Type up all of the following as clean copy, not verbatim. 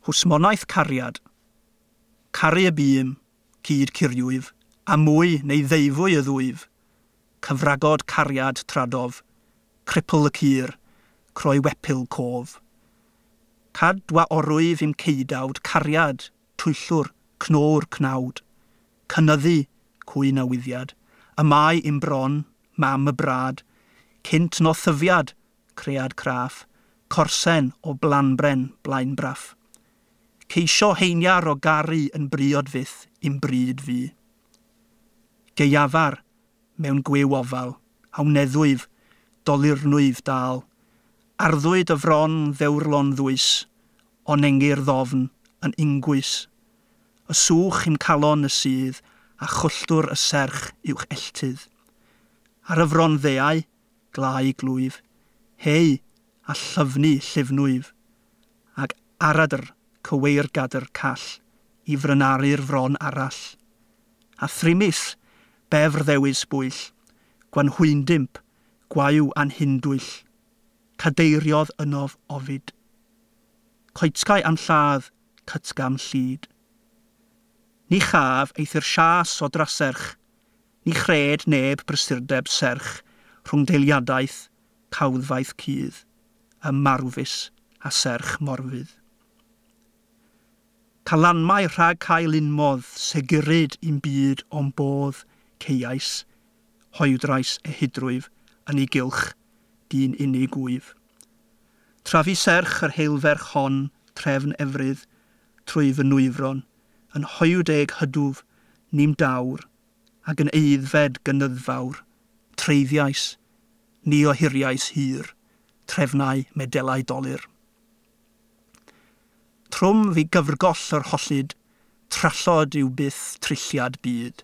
Hwsmonaeth cariad. Caru y bûm, cyd curiwyf, a mwy neu ddeufwy y ddwyf. Cyfragod cariad tradof, cripl y cur, croi wepil cof. Cad wa orwyf i'm ceidawd, cariad, twyllwr, cnowr cnawd. Cynyddu, cwy newyddiad, y mae i'm bron, mam y brad, cynt no thyfiad, cread craff, corsen o blanbren blaenbraff. Ceisio heiniar o garu yn briod fyth i'm bryd fi. Gaeafar mewn gwyw ofal, awneddwyf, dolurnwyf dal. Arddwyd y fron ddewrlon ddwys, onengir ddofn yn ingwys. Y sŵch i'm calon y sydd, a chwlltwr y serch uwch elltydd. Ar y fron ddeau, glau glwyf, hei, a llyfnu llifnwyf, ag aradr cyweirgadr call i frynaru'r fron arall. A thrimis, befr ddewis bwyll, gwanhwyndimp, gwayw anhindwyll, cadeiriodd ynof ofid. Coetsgau am lladd, cytgam llid. Ni chaf eithr sias o draserch, ni chred neb brysurdeb serch rhwng deiliadaeth, cawddfaeth cudd, y marwfus a serch morfydd. Calanmau rhag cael unmodd, seguryd i'n byd o'n bodd ceiais, hoedrais ehudrwyf yn ei gylch, dyn unig wyf. Trafu serch yr heilferch hon, trefn efrydd, trwy fy nwyfron, yn hoyw deg hydwf, nim dawr, ac yn eiddfed gynyddfawr, treiddiais, ni ohiriais hir, trefnau medelau dolur. Trwm fi gyfrgoll yr hollid, trallod yw byth trilliad byd.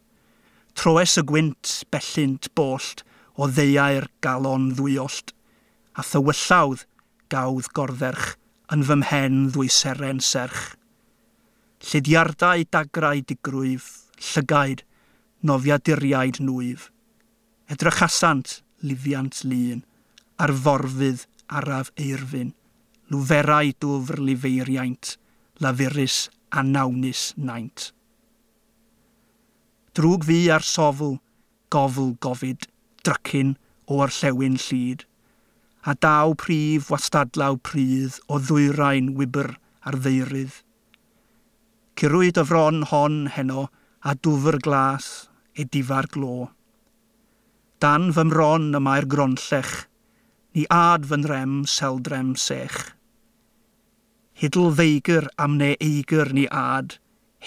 Troes y gwynt bellynt bollt o ddeuau'r galon ddwyollt, a thywyllawdd gawdd gordderch yn fy mhen ddwyseren serch. Llidiardau dagrau digrwyf, llygaid, nofiaduriaid nwyf. Edrychasant lifiant lun, ar forfydd araf eirfyn, lwferau dwfr lifeiriaint, lafurus a nawnus naint. Drwg fi ar sofl, gofl gofid, drycin o orllewin llid, a daw prif wastadlaw prydd o ddwyrain wybr ar ddeurydd. Curwyd y fron hon heno a dwfr glas edifar glo. Dan fy mron y mae'r gronllech, ni ad fy nrem seldrem sech. Hidl ddeigr am ne eigr ni ad,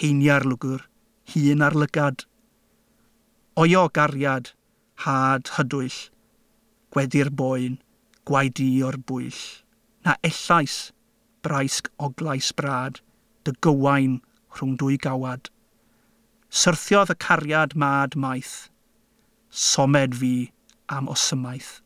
heiniar lwgr, hun ar lygad. Oio gariad, had hydwyll, gwedi'r boen, gwaedi o'r bwyll. Na ellais, braisg oglais brad, dy gywain rhwng dwy gawad. Syrthiodd y cariad mad maith, somed fi am osymaeth.